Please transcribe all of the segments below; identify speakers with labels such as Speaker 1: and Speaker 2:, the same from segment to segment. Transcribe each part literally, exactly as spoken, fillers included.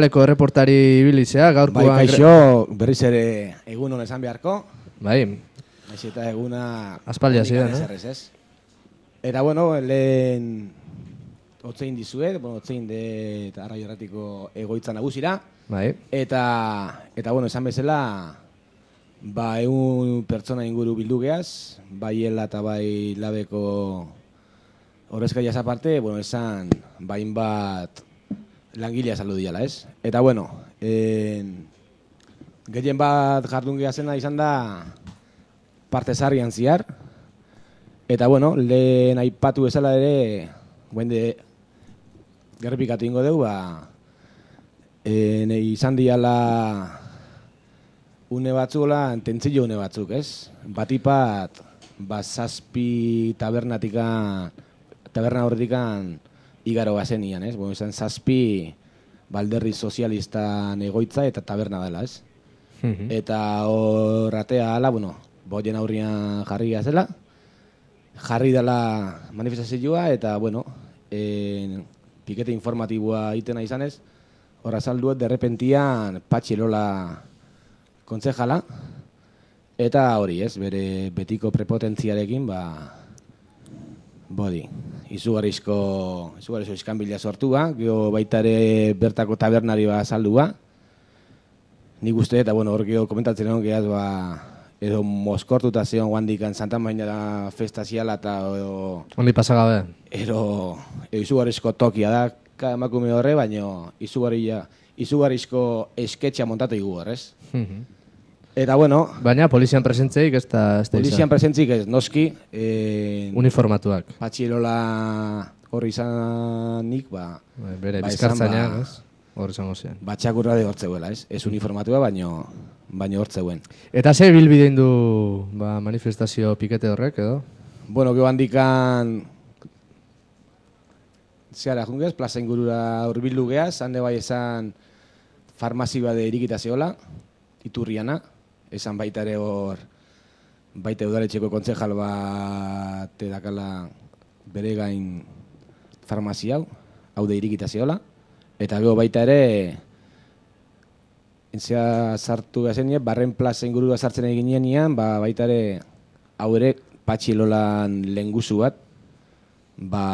Speaker 1: Leko erreportari ibilizea, gaurkoan...
Speaker 2: Bai, kaixo, berriz ere egun hon esan beharko.
Speaker 1: Bai.
Speaker 2: Naiz eta eguna...
Speaker 1: Aspaldia zidan,
Speaker 2: eh? Eta, bueno, lehen... Otzein dizuet, bueno, otzein de Arraio Erratiko egoitza nagusira.
Speaker 1: Bai.
Speaker 2: Eta, eta bueno, esan bezala, ba, egun pertsona inguru bildu geaz, bai ela eta bai labeko horrezkaiaz aparte, bueno, esan, bain bat langilea saldu diala, ez? Eta, bueno, en, gehien bat jardun gehazena izan da parte zarrian ziar. Eta, bueno, lehen aipatu bezala ere, guende gerripikatu ingo dugu, ba, e, nahi izan diala une batzuela, tentzillo une batzuk, ez? Batipat, ba, zazpi tabernatikan, taberna horretikan igaro gazenian, ez? Bueno, izan zazpi balderri sozialistan egoitza eta taberna dela, ez? Mm-hmm. Eta horratea ala, bueno, boien aurrian jarri gazela, jarri dela manifestazioa eta, bueno, en, pikete informatiboa itena izanez, horra salduet derrepentian Patxi Elola kontzejala, eta hori ez, bere betiko prepotentziarekin, ba, bodi, izugarrizko, izugarrizko iskanbila sortua, geho baita ere bertako tabernari ba saldua, nik uste, eta bueno, hor geho komentatzen egon gehaz, ba, edo moskortuta zeon guandikan Santa Maina festa ziala eta edo...
Speaker 1: Ondi pasagabe.
Speaker 2: Ero, edo izugarrizko tokia da, emakume horre, baina izugarrizko esketxa montatu igu horrez. Mm-hmm. Eta bueno...
Speaker 1: Baina polizian presentzeik ez da...
Speaker 2: Polizian presentzeik ez, noski... Eh,
Speaker 1: Uniformatuak.
Speaker 2: Patxi Elola horri izanik, ba...
Speaker 1: Bere, bizkartzainak, ez? Hor izango zen.
Speaker 2: Batxakurra de hortzeuela, ez? Ez uniformatua, baino, baino hortzeuen.
Speaker 1: Eta ze bilbidein du ba, manifestazio pikete horrek, edo?
Speaker 2: Bueno, geho handikan... Zeara jungez, plaza ingurura urbildu geaz, hande bai esan farmazi bade irikita zeola, Iturriana, esan baita ere hor, baita udaletxeko kontzejal bat edakala bere gain farmazi hau, hau de irikita zeola, eta gero baita ere, entzea sartu gazen, barren plaza ingurura sartzen egin nian, ba, baita ere, hau ere, Patxi Elolan lenguzu bat, ba,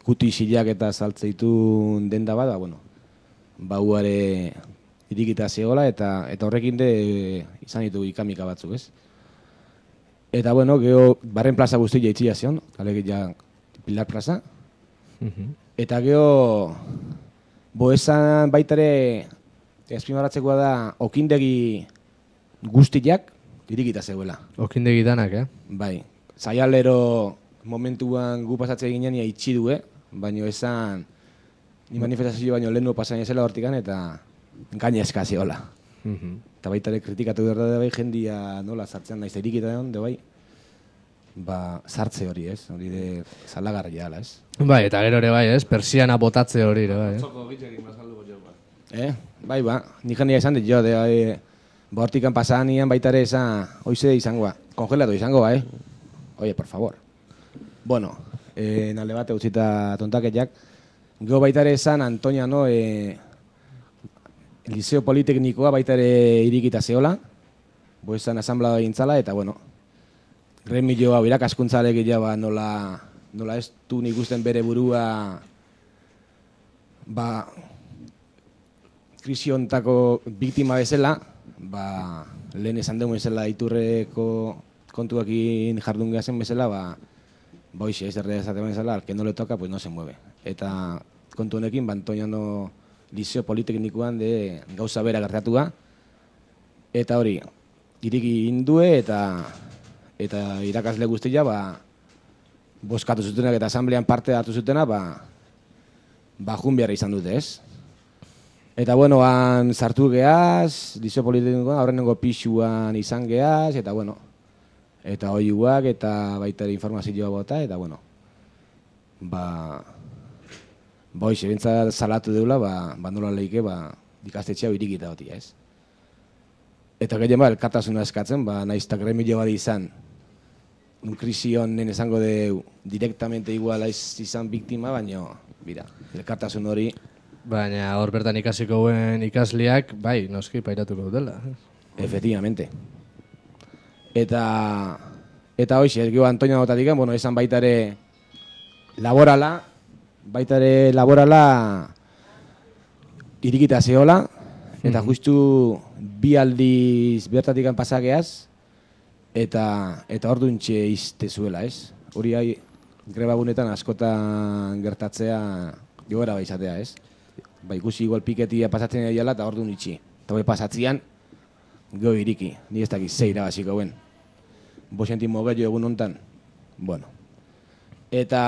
Speaker 2: kuti isilak eta saltzeitun denda bat, ba, bueno, ba, huare irikita zegoela, eta, eta horrekin de izan ditu ikamika batzuk, ez? Eta, bueno, geho, barren plaza guzti jaitxia zion, alek ja Pilar plaza, mm-hmm. Eta geho, bo esan baitare, ezpimarratzekoa da, okindegi guztiak irikita zegoela.
Speaker 1: Okindegi danak, eh?
Speaker 2: Bai, zaialero momentuan gu pasatze ginen ia itxi du, eh? Baina esan, ni manifestazio baino lehenu pasain ezela hortikan, eta gainezka zeola. Mm-hmm. Eta baita ere kritikatu behar da bai, jendia nola sartzean naiz irikita egon, de bai, ba, sartze hori, ez? Hori de salagarria ala, ez?
Speaker 1: Bai, eta gero ere bai, ez? Persiana botatze hori, ere bai, eh?
Speaker 3: Txoko gitzekin bazalduko jo, ba.
Speaker 2: Eh? Bai, ba, nik jendia esan dit jo, de bai, ba, hortikan pasan nian baita ere esan, hoize izangoa, kongelatu izangoa, eh? Oie, por favor. Bueno, eh, nalde bate utzita tontaketiak. Gero baita ere esan, Antonia, no, eh, Liceo Politeknikoa baita ere irikita zeola, bo esan asamblea egintzala, eta bueno, Remilio hau irakaskuntzalek ba, nola, nola ez du nik usten bere burua, ba, krisiontako biktima bezala, ba, lehen esan dugu bezala Iturreko kontuakin jardun gehazen bezala, ba, boixe, ez erre esaten bezala, al que no le toca, pues no se mueve. Eta kontu honekin, ba, Antoñano Liceo Politeknikoan de gauza bera gertatua, eta hori, iriki indue eta eta irakasle guztia, ba, boskatu zutenak eta asamblean parte hartu zutena, ba, ba, jun behar izan dute, ez? Eta, bueno, han sartu geaz, Liceo Politeknikoan, aurrenengo pixuan izan geaz, eta, bueno, eta oiuak, eta baita ere informazioa bota, eta, bueno, ba, ba, hoxe, bintzat salatu deula, ba, ba nola leike, ba, ikastetxea irikita hoti, ez? Eta gehien ba, elkartasuna eskatzen, ba, naiztak remilio badi izan, un krisi honen esango de directamente igual izan biktima, baina, bira, elkartasun hori
Speaker 1: Baina hor bertan ikasiko guen ikasliak, bai, noski pairatuko dutela.
Speaker 2: Efectivamente. Eta, eta hoxe, ez gero Antonio Gotatik, bueno, esan baitare laborala, baitare laborala irikita zehola, eta justu bi aldiz bertatik pasakeaz, eta eta orduntxe izte zuela, ez? Hori hai, grebagunetan askotan gertatzea joera baizatea, ez? Ba, ikusi igual piketia pasatzen daiala eta ordun itxi. Eta bai pasatzian, gero iriki, ni ez dakiz zeira basiko guen. Boxentimo gehiago egun hontan, bueno. Eta,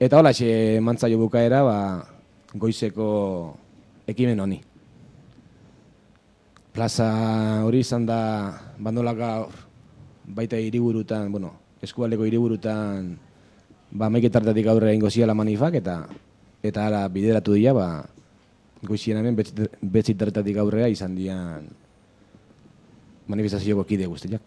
Speaker 2: eta hola xe mantzaio bukaera, ba, goizeko ekimen honi. Plaza hori izan da bandolaka baita hiriburutan, bueno, eskualdeko hiriburutan ba meiketartatik aurrera ingo ziala manifak eta eta ara bideratu dira, ba goizien hemen betzitartatik aurrera izan dian manifestazioko kide guztiak.